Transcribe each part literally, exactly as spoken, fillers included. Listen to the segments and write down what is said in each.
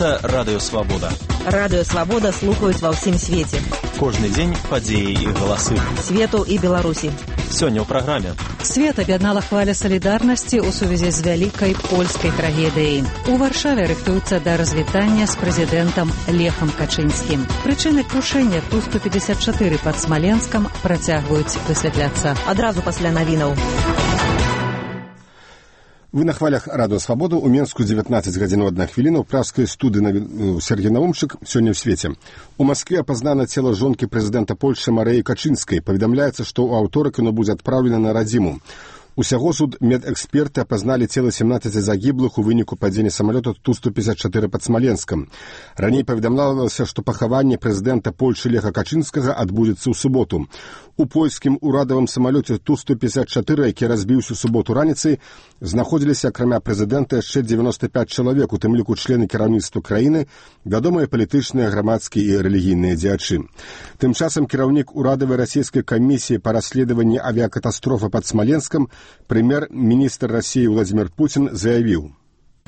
Гэта Радыё Свабода. Радыё Свабода слухаюць ва ўсім свеце. Кожны дзень падзеі і галасы. Свету і Беларусі. Сёння ў праграме. Свет аб'яднала хваля салідарнасці ў сувязі з вялікай польскай трагедыяй. У Варшаве рыхтуюцца да развітання з прэзідэнтам Лехам Качынскім. Прычыны крушэння Ту сто пятьдесят четыре пад Смаленскам працягваюць высвятляцца. Адразу пасля навінаў. Вы на хвалях Радыё Свабода. У Менску дзевятнаццаць гадзін адна хвіліна. У пражскай студыі Сергей Наумчык. Сёння ў свеце. У Маскве апазнана цела жонкі прэзідэнта Польшчы Марыі Качынскай. Паведамляецца, што ў аўторак яно будзе адпраўлена на радзіму. Усяго суд медэксперты апазналі цела семнаццаці загіблых у выніку падзення самалёта Ту сто пятьдесят четыре пад Смаленскам. Раней паведамлялася, што пахаванне прэзідэнта Польшчы Леха Качынскага адбудзецца ў суботу. У польскім урадавым самалёце Ту сто пятьдесят четыре, які разбіўся ў суботу раніцай, знаходзіліся, акрамя прэзідэнта, яшчэ дзевяносто пять чалавек, у тым ліку члены кіраўніцтва краіны, вядомыя палітычныя, грамадскія і рэлігійныя дзеячы. Тым часам кіраўнік урадавай расійскай камісіі па расследаванні авіакатастрофы пад Смаленском, премьер-министр России Владимир Путин заявил: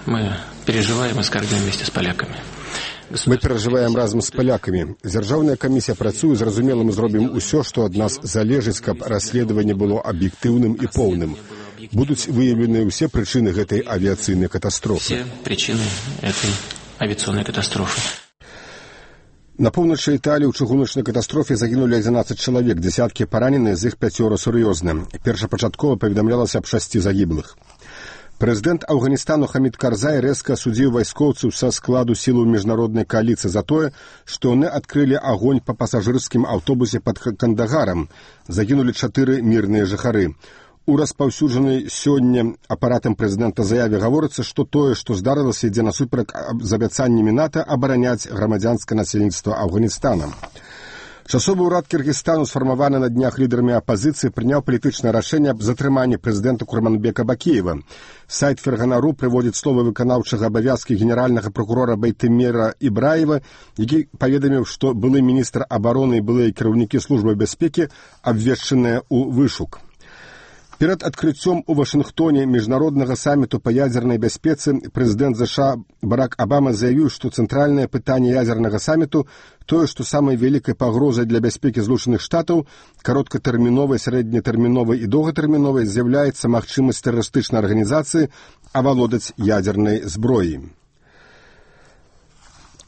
Мы переживаем и скорбим вместе с поляками. Мы перажываем разам з палякамі. Дзяржаўная камісія працуе, зразумела, мы зробім усё, што ад нас залежыць, каб расследаванне было аб'ектыўным і поўным. Будуць выяўлены ўсе прычыны гэтай авіяцыйнай катастрофы. Все причины этой авиационной катастрофы. На поўначы Італіі ў чыгуначнай катастрофе загінулі адзінаццаць чалавек, дзесяткі паранены, з іх пяцёра сур'ёзна. Першапачаткова паведамлялася аб шасці загіблых. Прэзідэнт Афганістану Хамід Карзай рэзка асудзіў вайскоўцаў са складу сілаў міжнароднай кааліцыі за тое, што яны адкрылі агонь па пасажырскім аўтобусе пад Кандагарам. Загінулі чатыры мірныя жыхары. У распаўсюджанай сёння апаратам прэзідэнта заяве гаворыцца, што тое, што здарылася, ідзе насуперак з абяцаннямі НАТО абараняць грамадзянскае насельніцтва Афганістана. Часовы ўрад Кыргызстану, сфармаваны на днях лідарамі апазіцыі, прыняў палітычнае рашэнне аб затрыманні прэзідэнта Курманбека Бакеева. Сайт Ферганару прыводзіць словы выканаўчага абавязкі генеральнага прокурора Байтемира Ибраева, які паведаміў, што былы міністр абароны і былыя кіраўнікі службы бяспекі абвешчаныя ў вышук. Перад адкрыццём у Вашынгтоне міжнароднага саміту па ядзернай бяспецы прэзідэнт ЗША Барак Абама заявіў, што цэнтральнае пытанне ядзернага саміту тое, што самай вялікай пагрозай для бяспекі Злучаных Штатаў, кароткатэрміновай, сярэднетэрміновай і доўгатэрміновай з'яўляецца магчымасць тэрарыстычнай арганізацыі авалодаць ядзернай зброяй.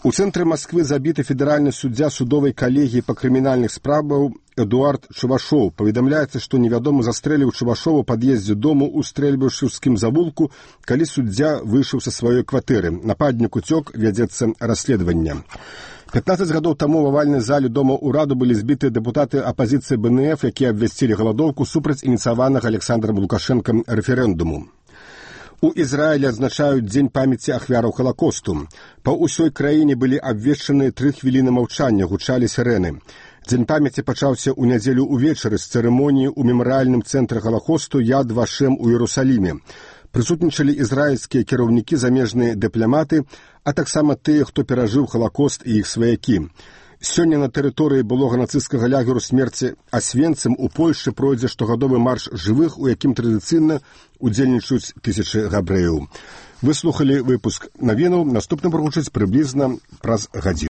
У цэнтры Масквы забіты федэральны суддзя судовай калегіі па крымінальных справах Эдуард Чувашоў. Паведамляецца, што невядомы застрэліў Чувашова ў пад'ездзе дому ў стрэльбышаўскім завулку, калі суддзя выйшаў са сваёй кватэры. Нападнік уцёк, вядзецца расследаванне. пятнаццаць гадоў таму ў авальнай зале дома ўраду былі збіты дэпутаты апазіцыі Бэ Эн Эф, якія абвясцілі галадоўку супраць ініцыяванага Александрам Лукашэнкам рэферэндуму. У Ізраілі адзначаюць дзень памяці ахвяраў Халакосту. Па ўсёй краіне былі абвешчаны тры хвіліны маўчання, гучалі сірэны. Дзень памяці пачаўся ў нядзелю ўвечары з цырымоніі ў мемарыяльным цэнтры Халакосту Яд Вашем у Іерусаліме. Прысутнічалі ізраільскія кіраўнікі, замежныя дыпламаты, а таксама тыя, хто перажыў Халакост і іх сваякі. Сёння на тэрыторыі былога нацысцкага лагеру смерці Асвенцым у Польшчы пройдзе штогадовы марш жывых, у якім традыцыйна удзельнічаюць тысячы габрэяў. Вы слухалі выпуск навінаў, наступны прагучыць прыблізна праз гадзіну.